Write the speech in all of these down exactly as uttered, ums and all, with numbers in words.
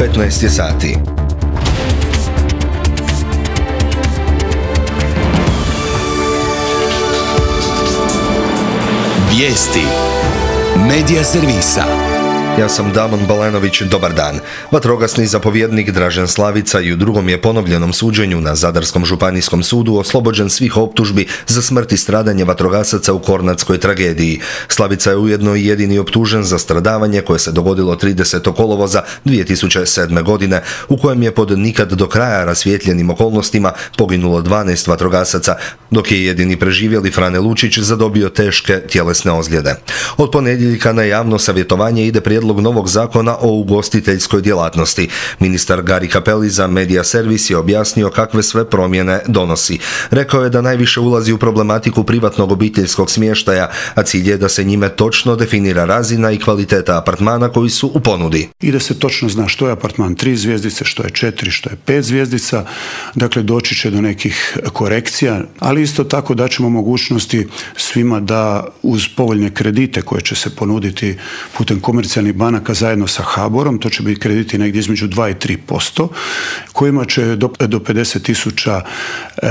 petnaest je sati. Vijesti Medija servisa. Ja sam Damon Balenović, dobar dan. Vatrogasni zapovjednik Dražen Slavica i u drugom je ponovljenom suđenju na Zadarskom županijskom sudu oslobođen svih optužbi za smrt i stradanje vatrogasaca u Kornatskoj tragediji. Slavica je ujedno i jedini optužen za stradavanje koje se dogodilo tridesetog kolovoza dvije tisuće sedme. godine, u kojem je pod nikad do kraja rasvijetljenim okolnostima poginulo dvanaest vatrogasaca, dok je jedini preživjeli Frane Lučić zadobio teške tjelesne ozljede. Od ponedjeljka na javno savjetovanje ide prijedlog novog zakona o ugostiteljskoj djelatnosti. Ministar Gari Cappelli za Medija servis je objasnio kakve sve promjene donosi. Rekao je da najviše ulazi u problematiku privatnog obiteljskog smještaja, a cilj je da se njime točno definira razina i kvaliteta apartmana koji su u ponudi. I da se točno zna što je apartman tri zvjezdice, što je četiri, što je pet zvjezdica. Dakle, doći će do nekih korekcija, ali isto tako da ćemo mogućnosti svima da uz povoljne kredite koje će se ponuditi putem komercijalnih banaka zajedno sa HABOR-om, to će biti krediti negdje između dva i tri posto, kojima će do, do pedeset tisuća e,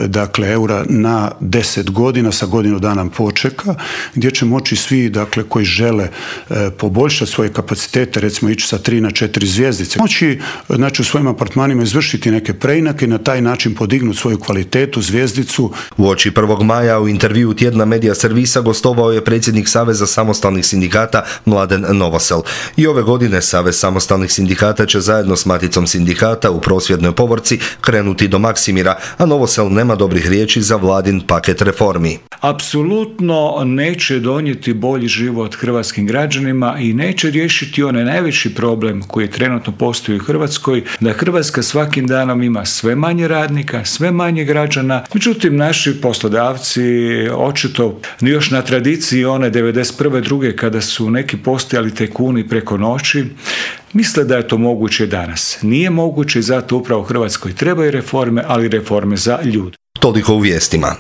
dakle, eura na deset godina sa godinu dana počeka, gdje će moći svi dakle, koji žele e, poboljšati svoje kapacitete, recimo ići sa tri na četiri zvjezdice, moći znači, u svojim apartmanima izvršiti neke preinake i na taj način podignuti svoju kvalitetu, zvjezdicu. Uoči prvog maja u intervjuu tjedna Medija servisa gostovao je predsjednik Saveza samostalnih sindikata Mladen Novosel. I ove godine Savez samostalnih sindikata će zajedno s Maticom sindikata u prosvjednoj povorci krenuti do Maksimira, a Novosel nema dobrih riječi za vladin paket reformi. Apsolutno neće donijeti bolji život hrvatskim građanima i neće riješiti onaj najveći problem koji trenutno postoji u Hrvatskoj, da Hrvatska svakim danom ima sve manje radnika, sve manje građana. Međutim, naši poslodavci očito još na tradiciji one devedeset prve druge kada su neki postojali tajkuni preko noći, misle da je to moguće danas. Nije moguće i zato upravo u Hrvatskoj trebaju reforme, ali reforme za ljude. Toliko u vijestima.